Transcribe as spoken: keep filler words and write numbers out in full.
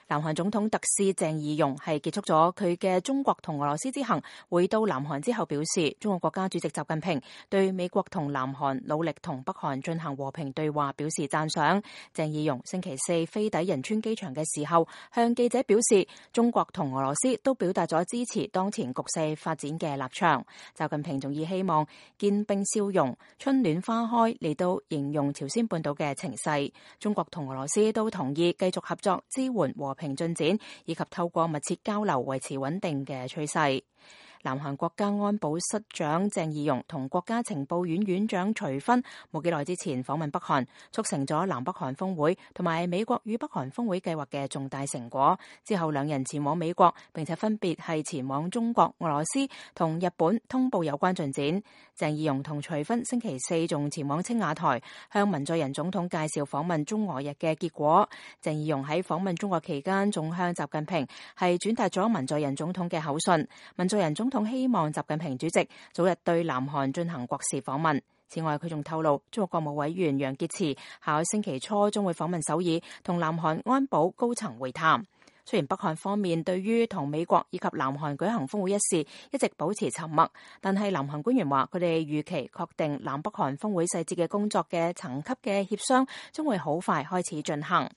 南韓總統特使鄭義溶係結束咗佢嘅中國同俄羅斯之行，回到南韓之後表示，中國國家主席習近平對美國同南韓努力同北韓進行和平對話表示讚賞。鄭義溶星期四飛抵仁川機場嘅時候，向記者表示，中國同俄羅斯都表達咗支持當前局勢發展嘅立場。習近平仲以希望見冰消融、春暖花開嚟到形容朝鮮半島嘅情勢。中國同俄羅斯都同意繼續合作支援和平進展，以及透過密切交流維持穩定嘅趨勢。南韓國家安保室長鄭義溶同國家情報院院長徐薰冇幾耐之前訪問北韓，促成咗南北韓峰會同埋美國與北韓峰會計劃嘅重大成果。之後兩人前往美國，並且分別係前往中國、俄羅斯同日本通報有關進展。鄭義溶同徐薰星期四仲前往青瓦台，向文在寅總統介紹訪問中俄日嘅結果。鄭義溶喺訪問中國期間，仲向習近平係轉達咗文在寅總統嘅口信。文在寅總統希望習近平主席早日對南韓進行國事訪問。此外，佢仲透露，中國國務委員楊潔篪下個星期初將會訪問首爾，同南韓安保高層會談。雖然北韓方面對於同美國以及南韓舉行峰會一事一直保持沉默，但係南韓官員話，佢哋預期確定南北韓峰會細節嘅工作嘅層級嘅協商將會好快開始進行。